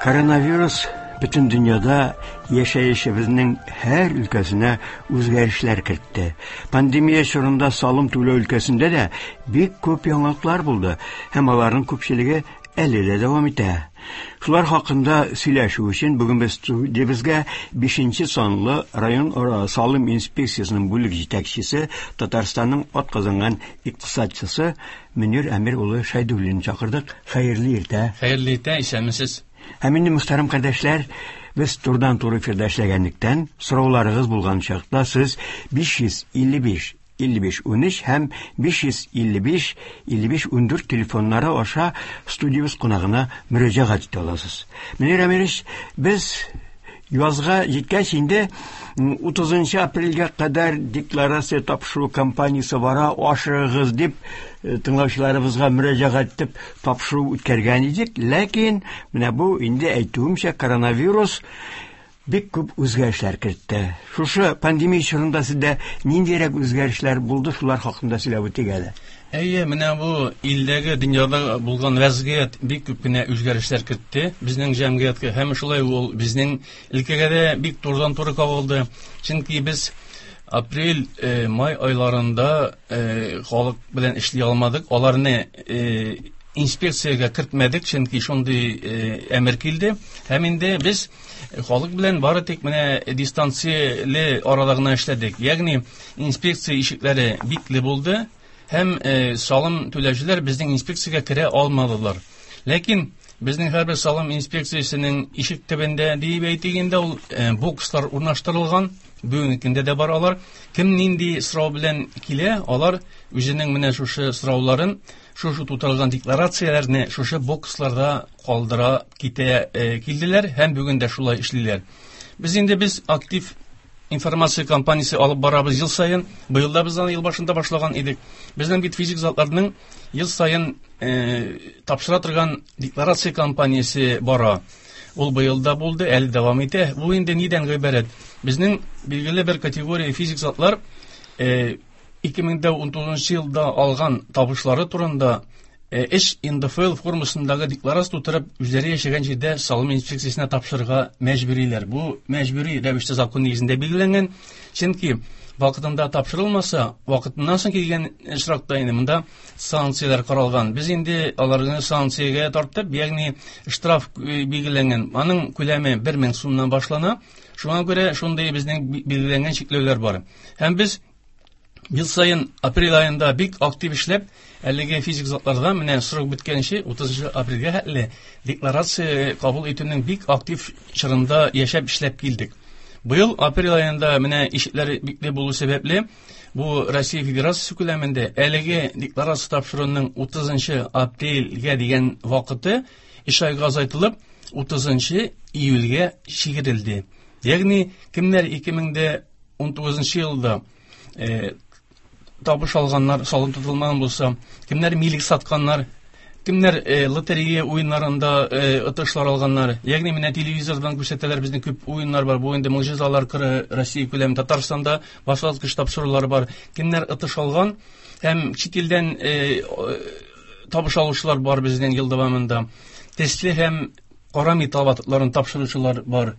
Коронавирус бөтен дөньяда яшәешебезнең һәр өлкәсенә үзгәрешләр кертте. Пандемия чорында салым түләү өлкәсендә дә бик күп яңалыклар булды һәм аларның күпчелеге әле дә дәвам итә. Шулар хакында сөйләшү өчен бүген без студиябезгә 5 санлы район салым инспекциясенең бүлек җитәкчесе, Татарстанның атказанган икътисадчысы Мөнир Әмир улы Шәйдуллинны чакырдык. Хәерле иртә. Хәерле иртә, исәнмесез. Һәм инде, мөхтәрәм кардәшләр, без турыдан-туры эфирда эшләгәнлектән, сорауларыгыз булган чакта сез 555 55 13 һәм 555 55 14 телефоннары аша студиябез кунагына мөрәҗәгать итә аласыз. Мөнир Әмирович, без язга җиткәч инде 30 апрельгә кадәр декларация тапшыру кампаниясе бара, ашыгыгыз дип тыңлаучыларыбызга мөрәҗәгать итеп тапшыру үткәргән идек. Ләкин менә бу инде әйтүемчә коронавирус бик күп үзгәрешләр кертте. Шушы пандемия чорында сездә ниндирәк үзгәрешләр булды, шулар хакында сөйләп үтик әле. Әйе, менә бу илдәге, дөньяда булган вәзгыять бик күп кенә үзгәрешләр кертте безнең җәмгыятькә һәм шулай ул безнең өлкәгә дә бик турыдан-туры кагылды. Чөнки без апрель, май айларында халык белән эшли алмадык. Аларны инспекциягә кертмәдек, чөнки шундый әмер килде. Һәм инде без халык белән бары тик менә дистанцияле арада гына эшләдек. Ягъни инспекция ишекләре бикле булды һәм салым түләүчеләр безнең инспекциягә керә алмадылар. Ләкин безнең һәрбер салым инспекциясенең ишек төбендә диеп әйтик инде ул бокслар урнаштырылган. Бүгенге көндә дә бар алар. Кем нинди сорау белән килә, алар үзенең менә шушы сорауларын, шушы тутырылган декларацияләрне шушы боксларда калдыра китә килделәр һәм бүген дә шулай эшлиләр. Без инде без актив информация кампаниясе алып барабыз ел саен. Быел да без аны ел башында башлаган идек. Безнең бит физик затларның ел саен тапшыра торган декларация кампаниясе бара. Ул быел да булды, әле дәвам итә. Бу инде нидән гыйбарәт? Безнең билгеле бер категория физик затлар 2019 елда алган табышлары турында эш НДФЛ формасындагы декларация тутырып, үзләре яшәгән җирдә салым инспекциясенә тапшырырга мәҗбүриләр. Бу мәҗбүри рәвештә закон нигезендә билгеләнгән. Чөнки вакытында тапшырылмаса, вакытыннан соң килгән очракта инде монда санкцияләр каралган. Без инде аларны санкциягә тарттык, ягъни штраф билгеләнгән. Аның күләме 1000 сумнан башлана. Шуңа күрә шундый безнең билгеләнгән чикләүләр бар. Һәм без ел саен апрель аенда бик актив эшләп, әлеге физик затларда менә срок беткәнче 30 апрельгә хәтле декларация кабул итүнең бик актив чорында яшәп эшләп килдек. Быел апрель аенда менә ишекләр бикле булу сәбәпле, бу Россия Федерациясе күләмендә әлеге декларация тапшыруның 30 апрельгә дигән вакыты өч айга азайтылып, 30 июльгә чигерелде. Ягъни кемнәр 2019 елда табыш алганнар, салым тотылмаган булса, кемнәр милек сатканнар, кемнәр лотерея уеннарында отышлар алганнар. Ягъни менә телевизордан күрсәтәләр, безнең күп уеннар бар. Бу инде могҗизалар кыры Россия күләме, Татарстанда башлангыч тапшырулар бар. Кемнәр отыш алган һәм чит илдән табыш алучылар бар безнең ел дәвамында. Төсле һәм кара металл ватыкларын тапшыручылар бар.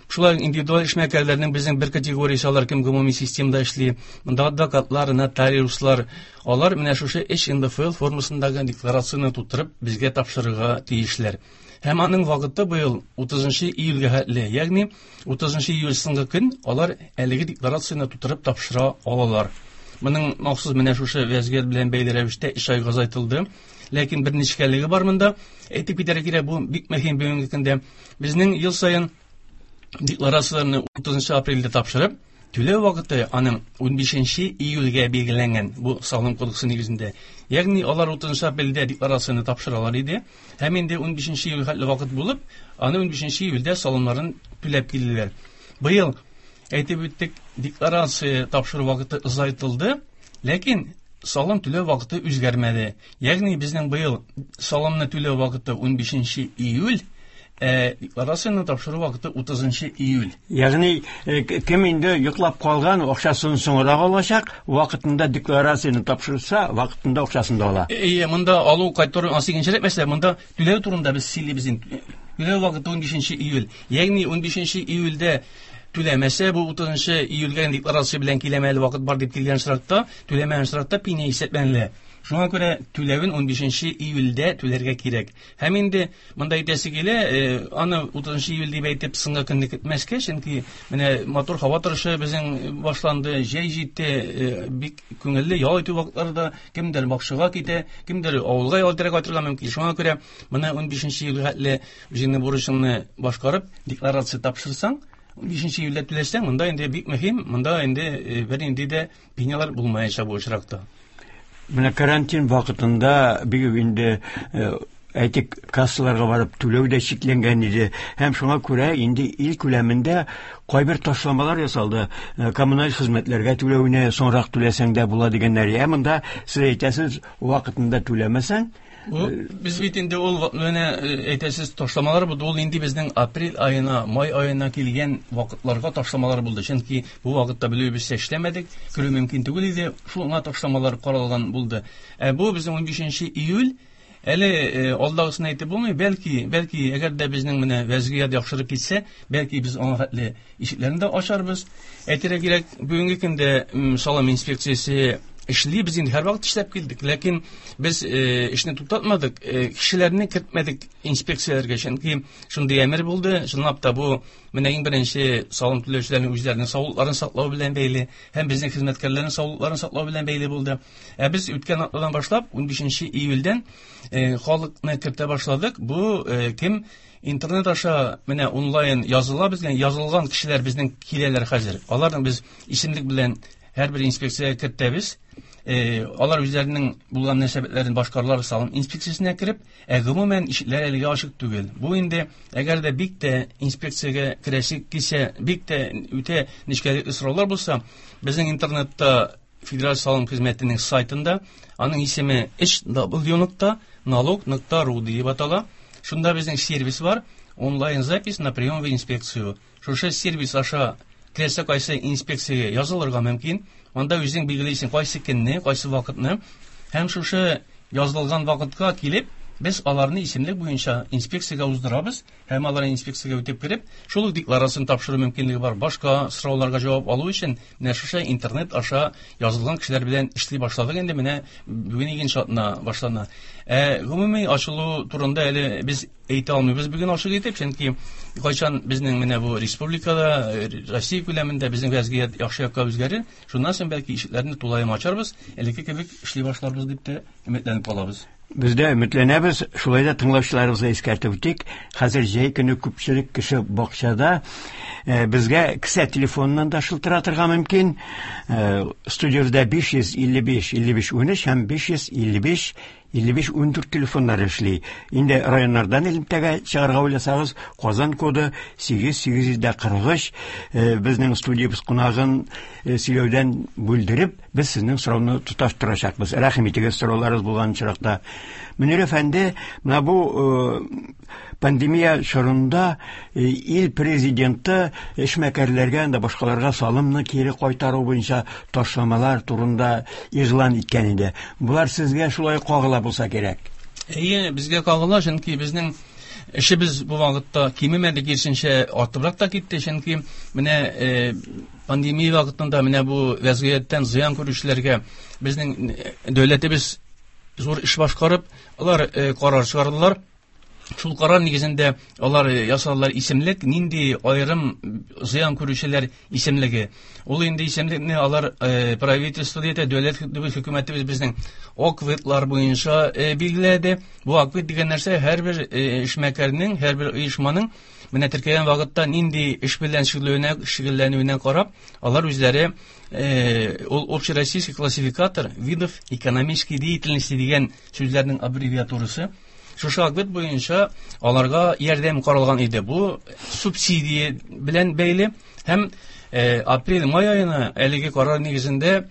Шулай индивидуаль эшмәкәрләрнең безнең бер категориясе, алар кем гомуми системада эшли. Монда адвокатлар, нотариуслар, алар менә шушы эш НДФЛ формасындагы декларацияне тутырып безгә тапшырырга тиешләр. Һәм аның вакыты быел 30 июльгә хәтле, ягъни 30 июль соңгы көн алар әлеге декларацияне тутырып тапшыра алалар. Моның махсус менә шушы вәзгыять белән бәйле рәвештә эш айга азайтылды. Ләкин бер нечкәлеге бар монда. Әйтеп китәргә кирәк, бу бик мөһим бүгенге көндә. Безнең ел саен декларацияләрне 30 апрельдә тапшырып, түләү вакыты аның 15 июльгә билгеләнгән бу салым кодексы нигезендә. Ягъни алар 30 апрельдә декларацияне тапшыралар иде. Һәм инде 15 июль хәтле вакыт булып, аны 15 июльдә салымнарын түләп килделәр. Быел әйтеп үттек, декларация тапшыру вакыты озайтылды, ләкин салым түләү вакыты үзгәрмәде. Ягъни безнең быел салымны түләү вакыты 15 июль, декларацияне тапшыру вакыты 30 июль. Ягъни кем инде йоклап калган, акчасын соңрак алачак, вакытында декларацияне тапшырса, вакытында акчасын да ала. Әйе, монда алу кайтару икенчерәк мәсьәлә, монда түләү турында без сөйлибез инде. Түләү вакыты 15 июль. Ягъни 15 июльдә түләмәсә, бу 30 июльгә декларация белән киләм әле вакыт бар дип килгән очракта, түләмәгән очракта пеня исәпләнелә. Шуңа күрә түләвен 15 июльдә түләргә кирәк. Һәм инде монда әйтәсе килә, аны 30 июль дип әйтеп соңгы көнне көтмәскә, чөнки менә матур һава торышы безнең башланды, җәй җитте, бик күңелле ял итү вакытлары да, кемдер бакчага китә, кемдер авылга ял итәргә кайтырга мөмкин. Шуңа күрә моны 15 июльгә хәтле үзеңнең бурычыңны башкарып, декларация тапшырсаң, 15 июльдә түләсәң, монда инде бик мөһим, монда инде бернинди дә пенялар булмаячак бу очракта. Менә карантин вакытында бик инде әйтик, кассаларга барып түләү дә чикләнгән иде. Һәм шуңа күрә инде ил күләмендә кайбер ташламалар ясалды. Коммуналь хезмәтләргә түләүне соңрак түләсәң дә була дигәннәр. Ә монда сез әйтәсез, вакытында түләмәсәң, без бит инде ул менә әйтәсез ташламалар булды. Ул инде безнең апрель аена, май аена килгән вакытларга ташламалар булды. Чөнки бу вакытта белүебезчә эшләмәдек, керү мөмкин түгел иде. Шуңа ташламалар каралган булды. Ә бу безнең 15 июль әле алдагысын әйтеп булмый, бәлки, бәлки әгәр дә безнең менә вәзгыять яхшырып китсә, бәлки без аңа хәтле ишекләрне дә ачарбыз. Әйтергә кирәк, бүгенге көндә салым инспекциясе эшли, без инде һәрвакыт эшләп килдек, ләкин без эшне туктатмадык, кешеләрне кертмәдек инспекцияләргә, чөнки шундый әмер булды. Чынлап та бу менә иң беренче салым түләүчеләрнең үзләренең саулыкларын саклау белән бәйле һәм безнең хезмәткәрләрнең саулыкларын саклау белән бәйле булды. Ә без үткән атнадан башлап 15 июльдән халыкны кертә башладык. Бу кем интернет аша менә онлайн языла, безгә язылган кешеләр безнең киләләр хәзер. Аларны без исемлек белән һәрбер инспекциягә кертәбез. Алар үзләренең булган мөнәсәбәтләрен башкаралар салым инспекциясенә кереп, ә гомумән ишекләр әлегә ачык түгел. Бу инде әгәр дә бик тә инспекциягә керәсе килсә, бик тә үтә нечкәлекле сораулар булса, безнең интернетта Федераль салым хезмәтенең сайтында, аның исеме hw.налог.ру дип атала. Шунда безнең сервис бар, онлайн запись на прием в инспекцию. Шушы сервис аша теләсә кайсы инспекциягә язылырга мөмкин. Анда үзең билгелисең кайсы көнне, кайсы вакытны. Һәм шушы язылган вакытка килеп, без аларны исемлек буенча инспекциягә уздырабыз һәм алар инспекциягә үтеп кереп, шул ук декларацияне тапшыру мөмкинлеге бар. Башка сорауларга җавап алу өчен менә шушы интернет аша язылган кешеләр белән эшли башладык инде, менә бүген икенче атна башлана. Ә гомуми ачылу турында әле без әйтә алмыйбыз бүген ачык итеп, чөнки кайчан безнең менә бу республикада, Россия күләмендә безнең вәзгыять яхшы якка үзгәрер, шуннан соң бәлки ишекләрне тулаем ачарбыз, элекке кебек эшли башларбыз дип тә өметләнеп калабыз. Без дә өметләнәбез, шулай да тыңлаучыларыбызга искәртеп үтик, хәзер җәй көне күпчелек кеше бакчада, безгә кесә телефоныннан да шылтыратырга мөмкин. Студиябездә 555 55 13 һәм 555 55 14 телефоннары эшли. Инде районнардан элемтәгә чыгарга уйласагыз, Казан коды 8843. Безнең студиябез кунагын сөйләүдән бүлдереп, без сезнең сорауны тоташтырачакбыз. Рәхим итегез, сорауларыгыз булган очракта. Мөнир әфәнде, менә бу пандемия чорында ил президенты эшмәкәрләргә һәм башкаларга салымны кире кайтару буенча ташламалар турында игълан иткән иде. Булар сезгә шулай кагыла булса кирәк. Әйе, безгә кагыла, чөнки безнең эшебез бу вакытта кимемәде, киресенчә артыбрак та китте, чөнки менә пандемия вакытында менә бу вәзгыятьтән зыян күрүчеләргә безнең дәүләтебез зур эш башкарып, алар карар чыгардылар. Шул карар нигезендә алар ясадылар исемлек, нинди аерым зыян күрүчеләр исемлеге. Ул инде исемлекне алар правительство диде, дәүләт хөкүмәтебез безнең ОКВЭДлар буенча билгеләде. Бу ОКВЭД дигән нәрсә һәрбер эшмәкәрнең, һәрбер оешманың менә теркәгән вакытта нинди эш белән шөгыльләнүенә карап, алар үзләре ул общероссийский классификатор видов экономической деятельности дигән сүзләрнең аббревиатурасы. Шушы ОКВЭД буенча аларга ярдәм каралган иде. Бу субсидия белән бәйле һәм апрель-май аена әлеге карар нигезендә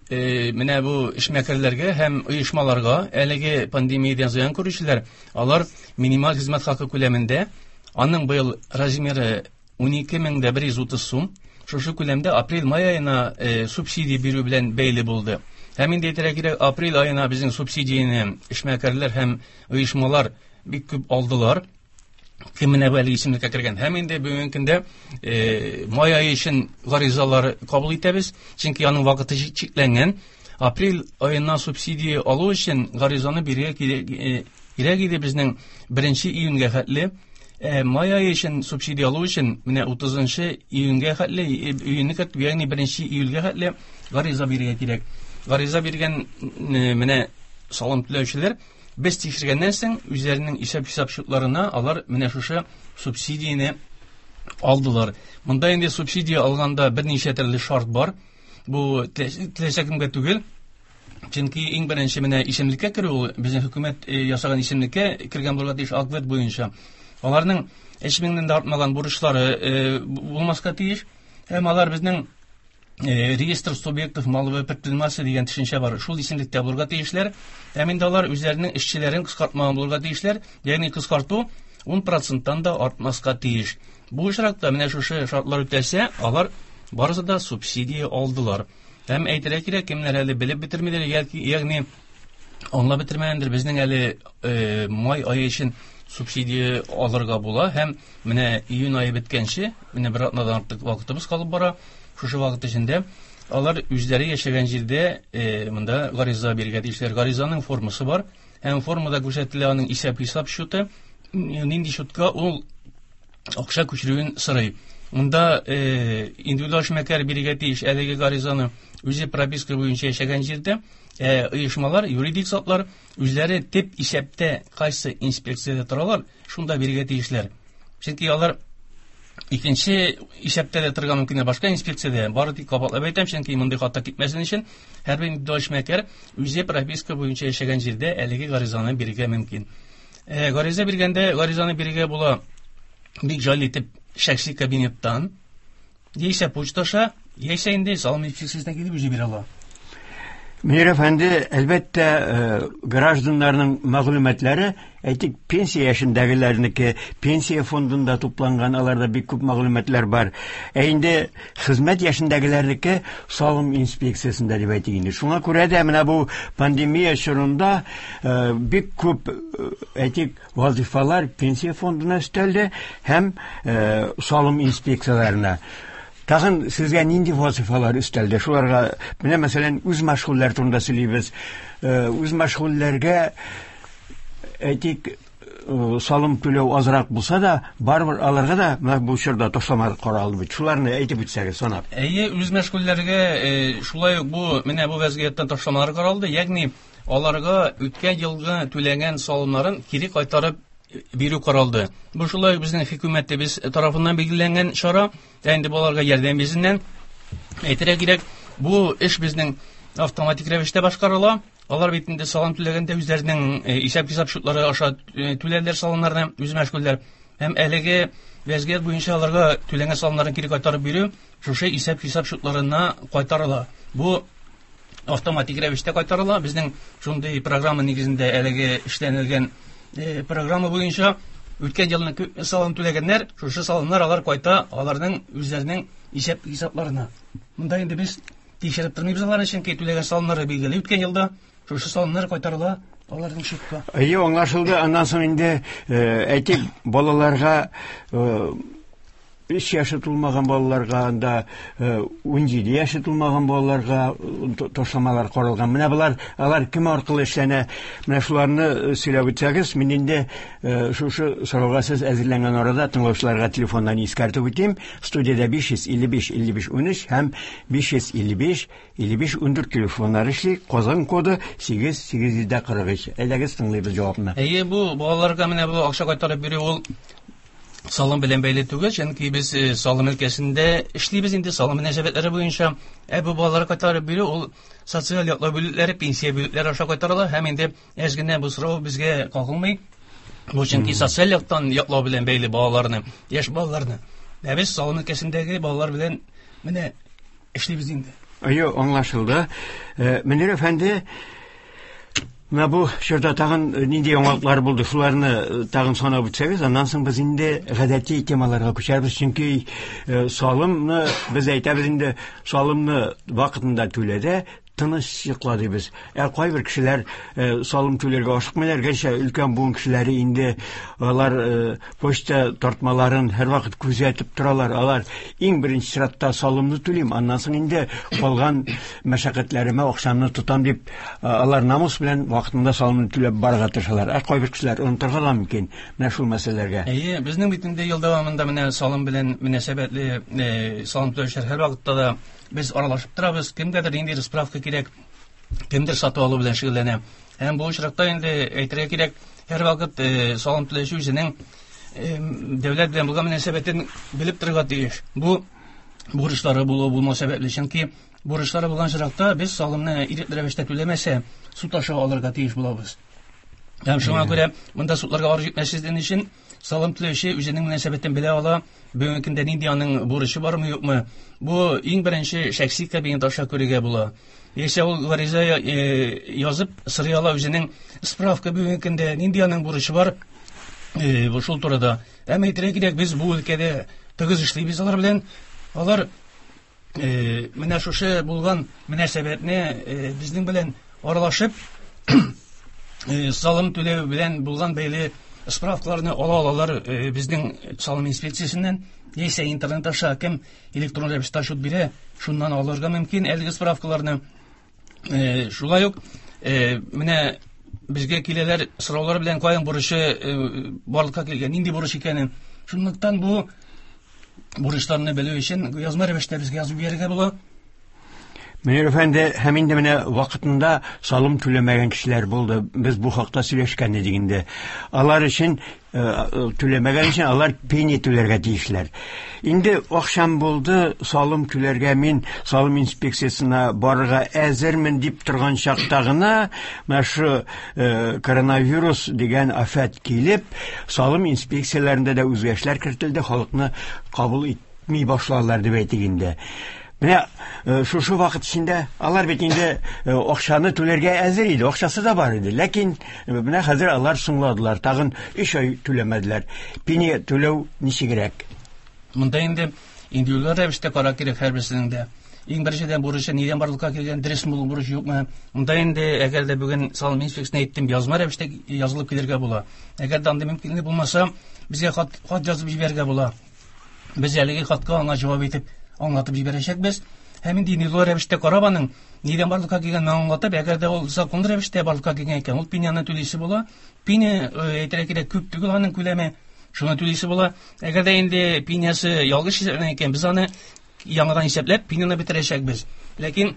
менә бу эшмәкәрләргә һәм оешмаларга әлеге пандемиядән зыян күрүчеләр, алар минималь хезмәт хакы күләмендә, аның быел размеры 12130 сум, шушы күләмдә апрель-май аена субсидия бирү белән бәйле булды. Һәм инде әйтергә кирәк, апрель аена безнең субсидияне эшмәкәрләр һәм оешмалар бик күп алдылар. Кем менә бу әлеге исемлеккә кергән. Һәм инде бүгенге көндә май ае өчен гаризалар кабул итәбез, чөнки аның вакыты чикләнгән. Апрель аеннан субсидия алу өчен гаризаны бирергә кирәк иде безнең 1 июньгә хәтле. Май ае өчен субсидия алу өчен менә 30 июньгә хәтле, июньне кертеп, ягъни 1 июльгә хәтле гариза бирергә кирәк. Гариза биргән менә салым түләүчеләр без тикшергәннән соң үзләренең исәп-хисап счетларына алар менә шушы субсидияне алдылар. Монда инде субсидия алганда берничә төрле шарт бар. Бу теләсә кемгә түгел. Чөнки иң беренче менә исемлеккә керү ул безнең хөкүмәт ясаган исемлеккә кергән булырга тиеш АКВЭД буенча. Аларның 3000-нән дә артмаган бурычлары булмаска тиеш. Һәм алар безнең реестр субъектов маловой предпринимательства дигән төшенчә бар. Шул исемлектә булырга тиешләр. Һәм инде алар үзләренең эшчеләрен кыскартмаган булырга тиешләр. Ягъни кыскарту 10%-тан да артмаска тиеш. Бу очракта менә шушы шартлар үтәлсә, алар барысы да субсидия алдылар. Һәм әйтергә кирәк, кемнәр әле белеп бетермиләр, ягъни аңлап бетермәгәндер, безнең әле май ае өчен субсидия алырга була һәм менә июнь ае беткәнче, менә бер атнадан артык вакытыбыз калып бара. Шушы вакыт эчендә алар үзләре яшәгән җирдә монда гариза бирергә тиешләр. Гаризаның формасы бар. Һәм формада күрсәтелә аның исәп-хисап счеты, нинди счетка ул акча күчерүен сорый. Монда индивидуаль эшмәкәр бирергә тиеш әлеге гаризаны үзе прописка буенча яшәгән җирдә. Оешмалар, юридик затлар үзләре төп исәптә кайсы инспекциядә торалар, шунда бирергә тиешләр. Чөнки алар икенче исәптә дә торырга мөмкин, башка инспекциядә. Бары тик кабатлап әйтәм, чөнки мондый хата китмәсен өчен һәрбер индивидуаль эшмәкәр үзе прописка буенча яшәгән җирдә әлеге гаризаны бирергә мөмкин. Гариза биргәндә гаризаны бирергә була бик җайлы итеп шәхси кабинеттан, яисә почта аша, яисә инде салым инспекциясенә килеп үзе бирә ала. Мөнир әфәнде, әлбәттә, гражданнарның мәгълүматлары, әйтик, пенсия яшендәгеләрнеке, пенсия фондында тупланган, аларда бик күп мәгълүматлар бар. Ә инде хезмәт яшендәгеләрнеке салым инспекциясендә дип әйтик инде. Шуңа күрә дә менә бу пандемия чорында бик күп, әйтик, вазифалар пенсия фондына өстәлде һәм салым инспекцияләренә. Тагын сезгә нинди вазифалар өстәлде? Шуларга, менә мәсәлән, үз мәшгульләр турында сөйлибез. Үз мәшгульләргә, әйтик, салым түләү азрак булса да, барыбер аларга да менә бу чорда ташламалар каралды бит. Шуларны әйтеп үтсәгез, санап. Әйе, үз мәшгульләргә шулай ук бу, менә бу вазгыятьтән ташламалар каралды. Ягъни аларга үткән елгы түләгән салымнарын кире кайтарып бирү каралды. Бу шулай ук безнең хөкүмәтебез тарафыннан билгеләнгән чара. Ә инде балаларга ярдәм йөзеннән әйтергә кирәк, бу эш безнең автоматик рәвештә башкарыла. Алар бит инде салым түләгәндә үзләренең исәп-хисап счетлары аша түләрләр салымнарны, үз мәшгульләр. Һәм әлеге вәзгыять буенча аларга түләнгән салымнарын кире кайтарып бирү шушы исәп-хисап счетларына кайтарыла. Бу автоматик рәвештә кайтарыла. Безнең шундый программа нигезендә әлеге эшләнелгән программа буенча үткән елны күп салым түләгәннәр, шушы салымнар алар кайта аларның үзләренең исәп-хисапларына. Монда инде без тикшереп тормыйбыз аларны, чөнки түләгән салымнары билгеле үткән елда, шушы салымнар кайтарыла аларның счетка. Әйе, аңлашылды. Аннан соң инде, әйтик, балаларга, 3 яше тулмаган балаларга, анда 17 яше тулмаган балаларга ташламалар каралган. Менә болар, алар кем аркылы эшләнә? Менә шуларны сөйләп үтсәгез, мин инде шушы сорауга сез әзерләнгән арада тыңлаучыларга телефоннан искәртеп үтим. Студиядә 555 55 13 һәм 555 55 14 телефоннары эшли. Казан коды 8 843. Әйдәгез, тыңлыйбыз җавапны. Әйе, бу балаларга менә бу акча кайтарып бирү ул салым белән бәйле түгел, чөнки без салым өлкәсендә эшлибез инде, салым мөнәсәбәтләре буенча. Ә бу балаларга кайтарып бирү ул социаль яклау бүлекләре, пенсия бүлекләре аша кайтарыла һәм инде әз генә бу сорау безгә кагылмый. Бу чөнки социаль яктан яклау белән бәйле балаларны, яшь балаларны. Ә без салым өлкәсендәге балалар белән менә эшлибез инде. Әйе, аңлашылды. Мөнир әфәнде, менә бу чорда тагын нинди яңалыклар булды, шуларны тагын санап үтсәгез, аннан соң без инде гадәти темаларга күчәрбез, чөнки салымны без әйтәбез инде, салымны вакытында түләдә, Тыныч йокла дибез. Ә кайбер кешеләр салым түләргә ашыкмыйлар, гәрчә өлкән буын кешеләре инде алар почта тартмаларын һәрвакыт күзәтеп торалар. Алар иң беренче чиратта салымны түлим, аннан соң инде калган мәшәкатьләремә акчамны тотам дип, алар намус белән вакытында салымны түләп барырга тырышалар. Ә кайбер кешеләр онытырга да мөмкин менә шул мәсьәләләргә. Әйе, безнең бит инде ел дәвамында менә салым белән мөнәсәбәтле салым түләүчеләр һәрвакытта да без аралашып торабыз. Кемгәдер ниндидер справка кирәк, кемдер сатып алу белән шөгыльләнә. Һәм бу очракта инде әйтергә кирәк, һәрвакыт салым түләүче үзенең дәүләт белән булган мөнәсәбәтен белеп торырга тиеш. Бу бурычлары булу булмау сәбәпле, чөнки бурычлары булган очракта без салымны ирекле рәвештә түләмәсә, суд аша алырга тиеш булабыз. Һәм шуңа күрә монда судларга барып җитмәсен өчен салым түләүче үзенең мөнәсәбәтен белә ала. Бүгенге көндә нинди аның бурычы бармы, юкмы? Бу иң беренче шәхси кабинет аша күрергә була. Яисә ул гариза язып сорый ала үзенең справка бүгенге көндә нинди аның бурычы бар, бу шул турыда. Әмма әйтергә кирәк, без бу өлкәдә тыгыз эшлибез алар белән. Алар менә шушы булган мөнәсәбәтне безнең белән аралашып, салым түләү белән булган бәйле справкаларны ала алалар безнең салым инспекциясеннән, яисә интернет аша кем электрон рәвештә отчет бирә, шуннан алырга мөмкин әлеге справкаларны. Шулай ук менә безгә киләләр сораулар белән, каян бурычы барлыкка килгән, нинди бурыч икәнен. Шунлыктан бу бурычларны белү өчен язма рәвештә безгә язып бирергә була. Мөнир әфәнде, һәм инде менә вакытында салым түләмәгән кешеләр булды. Без бу хакта сөйләшкән идек инде. Алар өчен түләмәгән өчен алар пени түләргә тиешләр. Инде акчам булды, салым түләргә мин салым инспекциясенә барырга әзермен дип торган чакта гына менә шу коронавирус дигән афәт килеп, салым инспекцияләрендә дә үзгәрешләр кертелде, халыкны кабул итми башладылар дип әйтик инде. Менә шушы вакыт эчендә алар бит инде акчаны түләргә әзер иде, акчасы да бар иде. Ләкин менә хәзер алар соңладылар, тагын 3 ай түләмәделәр. Пени түләү ничегрәк? Монда инде индивидуаль рәвештә карау кирәк һәрберсенең дә. Иң беренчедән бурычы нидән барлыкка килгән, дөресме ул бурыч, юкмы? Монда инде әгәр дә бүген салым инспекциясенә әйттем, язма рәвештә язылып килергә була. Әгәр дә андый мөмкинлек булмаса, безгә хат язып җибәрергә була. Без әлеге хатка аңа җавап итеп аңлатып җибәрәчәкбез. Һәм инде индивидуаль рәвештә карап аның нидән барлыкка килгәнен аңлатып, әгәр дә ул законлы рәвештә барлыкка килгән икән, ул пеняны түлисе була. Пеня, әйтергә кирәк, күп түгел аның күләме, шуны түлисе була. Әгәр дә инде пенясы ялгыш исәпләнгән икән, без аны яңадан исәпләп пеняны бетерәчәкбез. Ләкин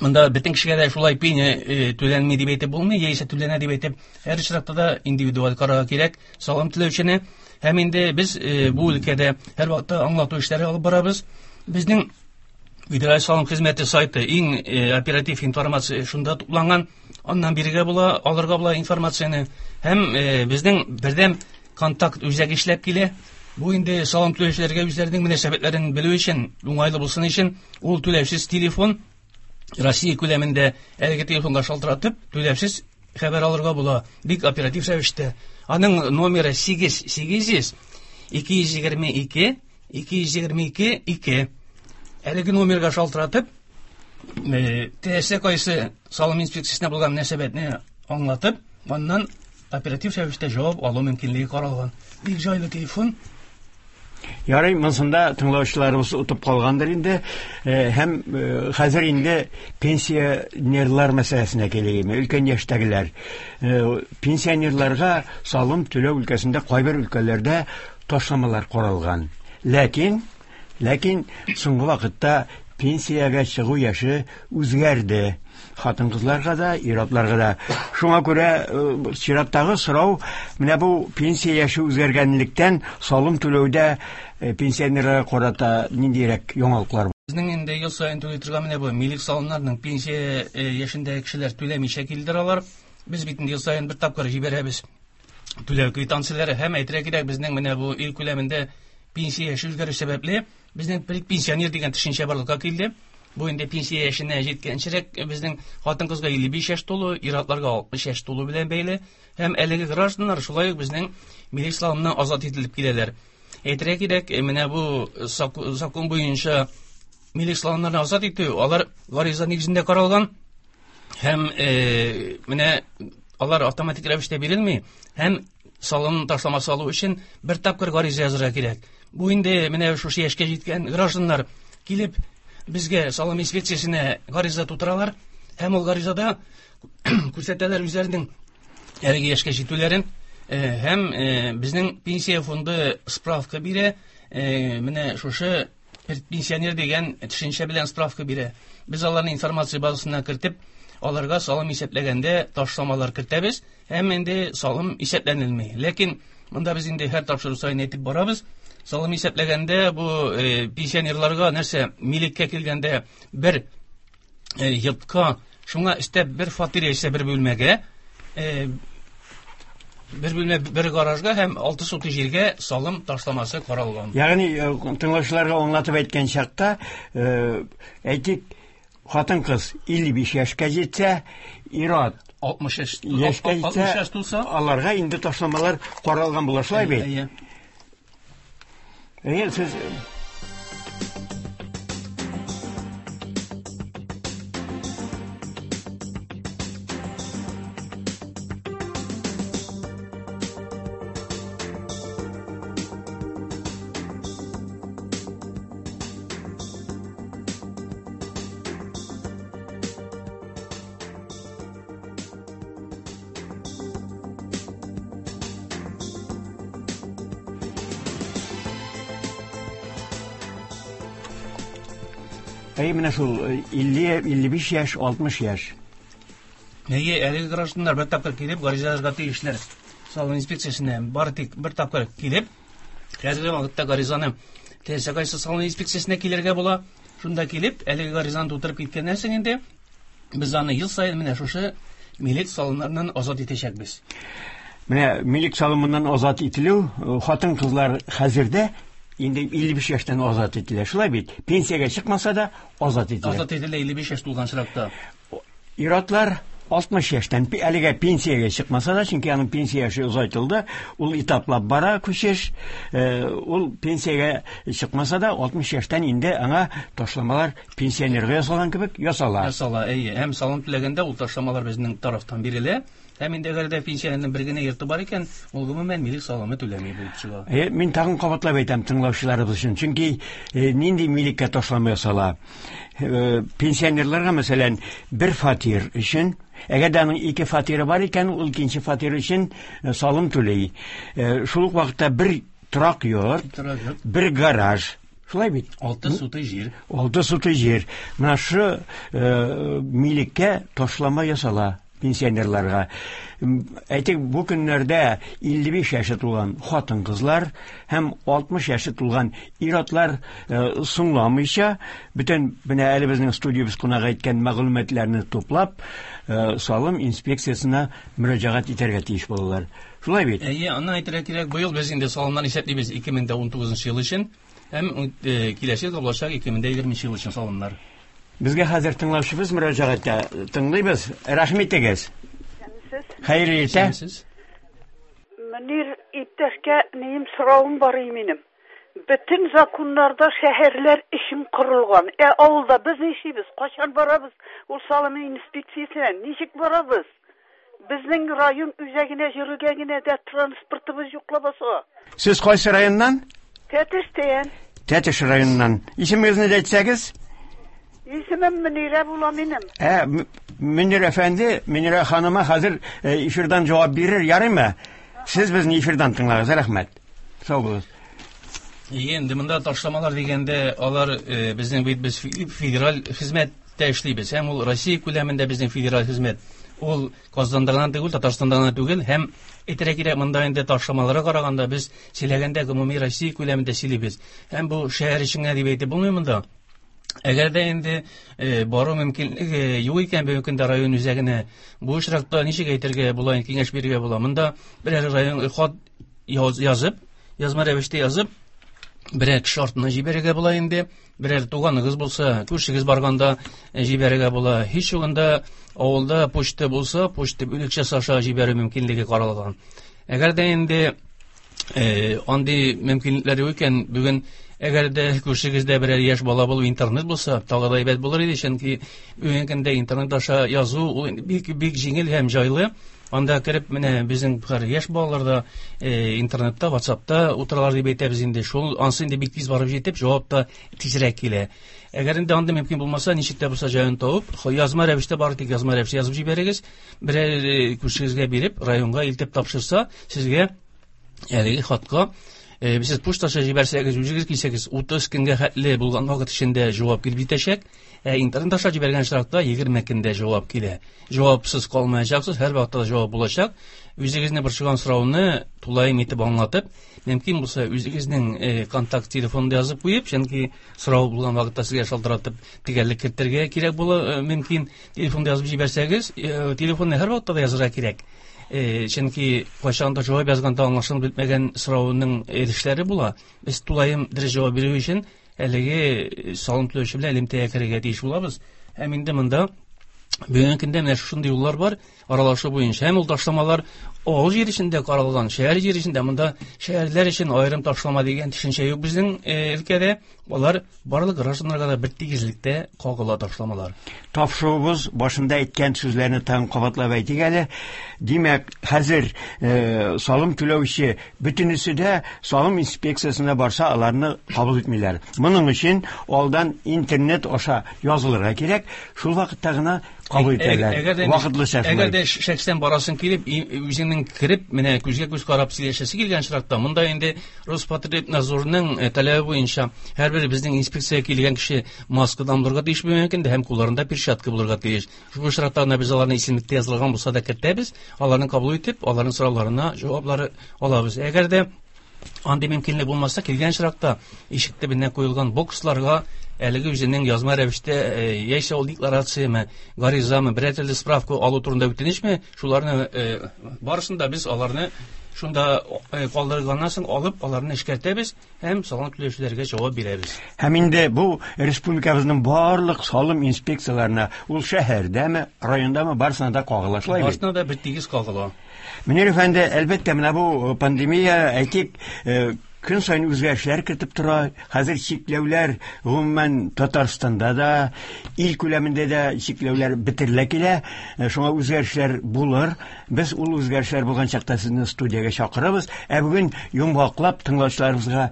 монда бөтен кешегә дә шулай пеня түләнми дип әйтеп булмый, яисә түләнә дип әйтеп, һәр очракта да индивидуаль карарга кирәк салым түләүчене. Һәм инде без бу өлкәдә һәрвакытта аңлату эшләре алып барабыз. Безнең Федераль салым хезмәте сайты иң оператив информация шунда тупланган. Аннан бирергә була, алырга була информацияне. Һәм безнең бердәм контакт үзәге эшләп килә. Бу инде салым түләүчеләргә үзләренең мөнәсәбәтләрен белү өчен, уңайлы булсын өчен, ул түләүсез телефон Россия күләмендә әлеге телефонга шалтыратып, түләүсез хәбәр алырга була. Бик оператив рәвештә. Аның номеры сигез сигез йөз ике йөз егерме ике, ике йөз егерме ике, ике. Әлеге номерга шалтыратып, теләсә кайсы салым инспекциясенә булган мөнәсәбәтне аңлатып, аннан оператив рәвештә җавап алу мөмкинлеге каралган. Бик җайлы телефон. Ярый, монсында тыңлаучыларыбыз отып калгандыр инде. Һәм хәзер инде пенсионерлар мәсьәләсенә килик. Өлкән яшьтәгеләр. Пенсионерларга салым түләү өлкәсендә кайбер өлкәләрдә ташламалар каралган. Ләкин соңгы вакытта пенсиягә чыгу яше үзгәрде. Хатын-кызларга да, ир-атларга да. Шуңа күрә чираттагы сорау, менә бу пенсия яше үзгәргәнлектән салым түләүдә пенсионерларга карата ниндирәк яңалыклар? Безнең инде ел саен түли торган менә бу милек салымнарының пенсия яшендәге кешеләр түләмичә килдер алар. Без бит инде ел саен бер тапкыр җибәрәбез түләү квитанцияләре. Һәм әйтергә кирәк, безнең менә бу ил күләмендә пенсия яше үзгәрү сәбәпле безнең предпенсионер дигән төшенчә барлыкка килде. Бу инде пенсия яшенә җиткәнчерәк безнең хатын-кызга илле биш яшь тулу, ир-атларга алтмыш яшь тулу белән бәйле. Һәм әлеге гражданнар шулай ук безнең милек салымыннан азат ителеп киләләр. Әйтергә кирәк, менә бу закон буенча милек салымнардан азат итү, алар гариза нигезендә каралган. Һәм менә алар автоматик рәвештә бирелми, һәм салым ташламасы алу өчен бер тапкыр гариза язырга кирәк. Бу инде менә шушы яшькә җиткән гражданнар килеп безгә салым инспекциясенә гариза тутыралар, һәм ул гаризада күрсәтәләр үзләренең әлеге яшькә җитүләрен, һәм безнең пенсия фонды справка бирә, менә шушы пенсионер дигән төшенчә белән справка бирә. Без аларны информация базасына кертеп, аларга салым исәпләгәндә ташламалар кертәбез, һәм инде салым исәпләнелми. Ләкин монда без инде һәр тапшыру саен әйтеп барабыз, салым исәпләгәндә бу пенсионерларга нәрсә, милеккә килгәндә бер йортка, шуңа өстәп бер фатир яисә бер бүлмәгә, бер бүлмә, бер гаражга һәм 6 сотый җиргә салым ташламасы каралган. Ягъни тыңлаучыларга аңлатып әйткән чакта, әйтик, хатын-кыз 55 яшькә җитсә, ир-ат 60 яшькә җитсә, 60 яшь тулса, аларга инде ташламалар каралган була, шулай бит? Әйе. Әйе, сез Әйе, менә шул 50, 55 яшь, 60 яшь. Әйе, әлеге гражданнар бер тапкыр килеп гариза язарга тиешләр. Салым инспекциясенә бары тик бер тапкыр килеп, хәзерге вакытта гаризаны теләсә кайсы салым инспекциясенә килергә була. Шунда килеп, әлеге гаризаны тутырып киткәннән соң инде без аны ел саен менә шушы милек салымнарыннан азат итәчәкбез. Менә милек салымыннан азат ителү, хатын-кызлар хәзердә инде 55 яшьтән азат ителә. Шулай бит? Пенсиягә чыкмаса да азат ителә. Азат ителә 55 яшь тулган чиракта. Ир-атлар 60 яшьтән әлегә пенсиягә чыкмаса да, чөнки аның пенсия яше озайтылды, ул этаплап бара күчеш, ул пенсиягә чыкмаса да 60 яшьтән инде аңа ташламалар пенсионерга ясалган кебек ясала. Ясала, әйе. Һәм салым түләгәндә ул ташламалар безнең тарафтан бирелә. Һәм инде әгәр дә пенсионерның бер генә йорты бар икән, ул гомумән милек салымы түләми булып чыга. Мин тагын кабатлап әйтәм тыңлаучыларыбыз өчен, чөнки нинди милеккә ташлама ясала. Пенсионерларга, мәсәлән, бер фатир өчен, әгәр дә аның ике фатиры бар икән, ул икенче фатир өчен салым түли. Шул ук вакытта бер торак йорт, Торак йорт. бер гараж. Шулай бит? 6 сутый җир. 6 сутый җир. Менә шу милеккә ташлама ясала пенсионерларга. Әйтик, бу көннәрдә 55 яше тулган хатын-кызлар һәм 60 яше тулган ир-атлар соңламыйча, бөтен менә әле безнең студиябез кунак әйткән мәгълүматларны туплап, салым инспекциясенә мөрәҗәгать итәргә тиеш булалар. Шулай бит? Әйе, аны әйтергә кирәк, быел без инде салымнар исәплибез ике мең дә унтугызынчы ел өчен һәм киләсе елда булачак ике мең дә егерменче ел өчен салымнар. Безгә хәзер тыңлаучыбыз мөрәҗәгать итә. Тыңлыйбыз. Рәхим итегез. Исәнмесез. Хәерле иртә. Исәнмесез. Мөнир иптәшкә минем соравым бар иде минем. Бөтен законнарда шәһәрләр өчен корылган. Ә авылда без нишлибез? Кайчан барабыз ул салым инспекциясенә? Ничек барабыз? Безнең район үзәгенә йөрергә генә дә транспортыбыз юк лабаса. Сез кайсы районнан? Тәтештән. Тәтеш районыннан. Исемегезне дә әйтсәгез? Исемем Мөнирә була минем. Мөнир әфәнде, Мөнирә ханыма хәзер эфирдан җавап бирер, ярыймы? Сез безне эфирдан тыңлагыз, рәхмәт. Сау булыгыз. Әйе, инде монда ташламалар дигәндә, алар безнең бит без федераль хезмәттә эшлибез. Һәм ул Россия күләмендә безнең федераль хезмәт. Ул Казанда гына түгел, Татарстанда гына түгел, һәм әйтергә кирәк, монда инде ташламаларга караганда без сөйләгәндә гомуми Россия күләмендә сөйлибез. Һәм бу шәһәр өчен генә дип әйтеп булмый монда. Әгәр дә инде бару мөмкинлеге юк икән бүгенге көндә район үзәгенә, бу очракта ничек әйтергә була, инде киңәш бирергә була. Монда берәр район хат язып, язма рәвештә язып, берәр кеше артыннан җибәрергә була инде. Берәр туганыгыз булса, күршегез барганда җибәрергә була. Һич югында авылда почта булса, почта бүлекчәсе аша җибәрү мөмкинлеге каралган. Әгәр дә инде андый мөмкинлекләр юк икән, бүген Әгәр дә күршегездә берәр яшь бала булып интернет булса, тагы да әйбәт булыр иде, чөнки бүгенге көндә интернет аша язу ул инде бик бик җиңел һәм җайлы. Анда кереп менә безнең хәзер яшь балалар да интернетта, WhatsAppта утыралар дип әйтәбез инде. Шул ансы инде бик тиз барып җитеп, җавап та тизрәк килә. Әгәр инде анда мөмкин булмаса, ничек тә булса җаен табып, язма рәвештә бары тик язма рәвештә язып җибәрегез. Берәр күршегезгә биреп, районга илтеп тапшырса, сезгә әлеге хатка сез почта аша җибәрсәгез, үзегез килсәгез, 30 көнгә хәтле булган вакыт эчендә җавап килеп җитәчәк. Ә интернет аша җибәргән очракта 20 көндә җавап килә. Җавапсыз калмаячаксыз, һәр вакытта да җавап булачак. Үзегезне борчыган сорауны тулаем итеп аңлатып, мөмкин булса үзегезнең контакт телефонын язып куеп, чөнки сорау булган вакытта сезгә шалтыратып төгәллек кертергә кирәк була, мөмкин. Телефонда язып җибәрсәгез, телефонны һәр вакытта да язырга кирәк. Чөнки кайчанда җавап язганда аңлашылып бетмәгән сорауның өлешләре була. Без тулаем дөрес җавап бирү өчен әлеге салым түләүче белән элемтәгә керергә тиеш булабыз. Һәм инде монда бүгенге көндә менә шушындый юллар бар аралашу буенча. Һәм ул ташламалар авыл җир эчендә каралган, шәһәр җир эчендә. Монда шәһәрләр өчен аерым ташлама дигән төшенчә юк безнең өлкәдә. Алар барлык гражданнарга да бер тигезлектә кагыла ташламалар. Тапшыруыбыз башында әйткән сүзләрне тагын кабатлап әйтик әле. Димәк, хәзер салым түләүче бөтенесе дә салым инспекциясенә барса, аларны кабул итмиләр. Моның өчен алдан интернет аша язылырга кирәк, шул вакытта гына кабул итәләр. Вакытлыча шулай. Әгәр дә шәхсән барасың килеп, үзеңнең кереп, менә күзгә күз карап сөйләшәсе килгән очракта, монда инде Роспотребнадзорның таләбе буенча һәрбер безнең инспекциягә килгән кеше маскадан булырга тиеш бүгенге көндә һәм кулларында перчатка булырга тиеш. Шул очракта гына без аларны исемлектә язылган булса да кертәбез, аларны кабул итеп, аларның сорауларына җаваплары алабыз. Әгәр дә андый мөмкинлек булмаса, килгән очракта ишек төбенә куелган боксларга әлеге үзенең язма рәвештә, яисә ул декларацияме, гаризамы, берәр төрле справка алу турында үтенечме, шуларны барысын да без аларны шунда калдырганнан соң алып, аларны эшкәртәбез һәм салым түләүчеләргә җавап бирәбез. Һәм инде бу республикабызның барлык салым инспекцияләренә, ул шәһәрдәме, райондамы, барысына да кагыла, шулай бит? Барысына да бер тигез кагыла. Мөнир әфәнде, әлбәттә, менә бу пандемия, әйтик, көн саен үзгәрешләр кертеп тора. Хәзер чикләүләр гомумән Татарстанда да, ил күләмендә дә чикләүләр бетерелә килә. Шуңа үзгәрешләр булыр. Без ул үзгәрешләр булган чакта сезне студиягә чакырабыз. Ә бүген йомгаклап тыңлаучыларыбызга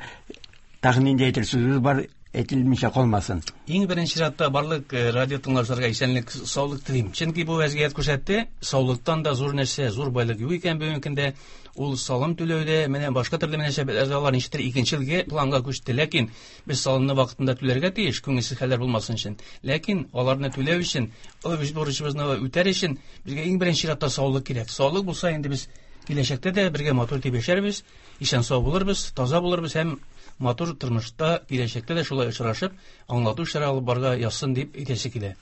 тагын нинди әйтер сүзегез бар, әйтелмичә калмасын. Иң беренче чиратта барлык радио тыңлаучыларга исәнлек, саулык телим. Чөнки бу вәзгыять күрсәтте, саулыктан да зур нәрсә, зур байлык юк икән бүгенге көндә. Ул салым түләүдә, менә башка төрле мөнәсәбәтләрдә алар ничектер икенче планга күчте. Ләкин без салымны вакытында түләргә тиеш, күңелсез хәлләр булмасын өчен. Ләкин аларны түләү өчен, үз бурычыбызны үтәр өчен безгә иң беренче чиратта саулык кирәк. Саулык булса инде без киләчәктә дә бергә матур итеп яшәрбез, исән сау булырбыз, таза булырбыз һәм матур тормышта киләчәктә дә шулай очрашып, аңлату эшләре алып барырга язсын дип әйтәсе килә.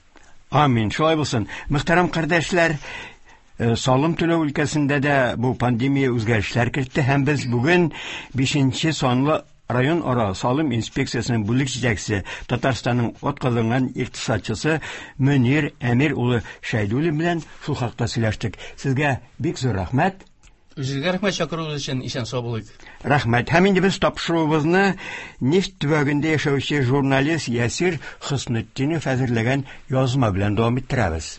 Амин. Шулай булсын. Мөхтәрәм кардәшләр, салым түләү өлкәсендә дә бу пандемия үзгәрешләр кертте һәм без бүген 5 санлы район ара салым инспекциясенең бүлек җитәкчесе, Татарстанның атказанган икътисадчысы Мөнир Әмир улы Шәйдуллин белән шул хакта сөйләштек. Сезгә бик зур рәхмәт. Үзегезгә рәхмәт чакыруыгыз өчен, исән сау булыйк. Рәхмәт. Һәм инде без тапшыруыбызны нефть төбәгендә яшәүче журналист Ясир Хөснетдинов әзерләгән язма белән дәвам иттерәбез.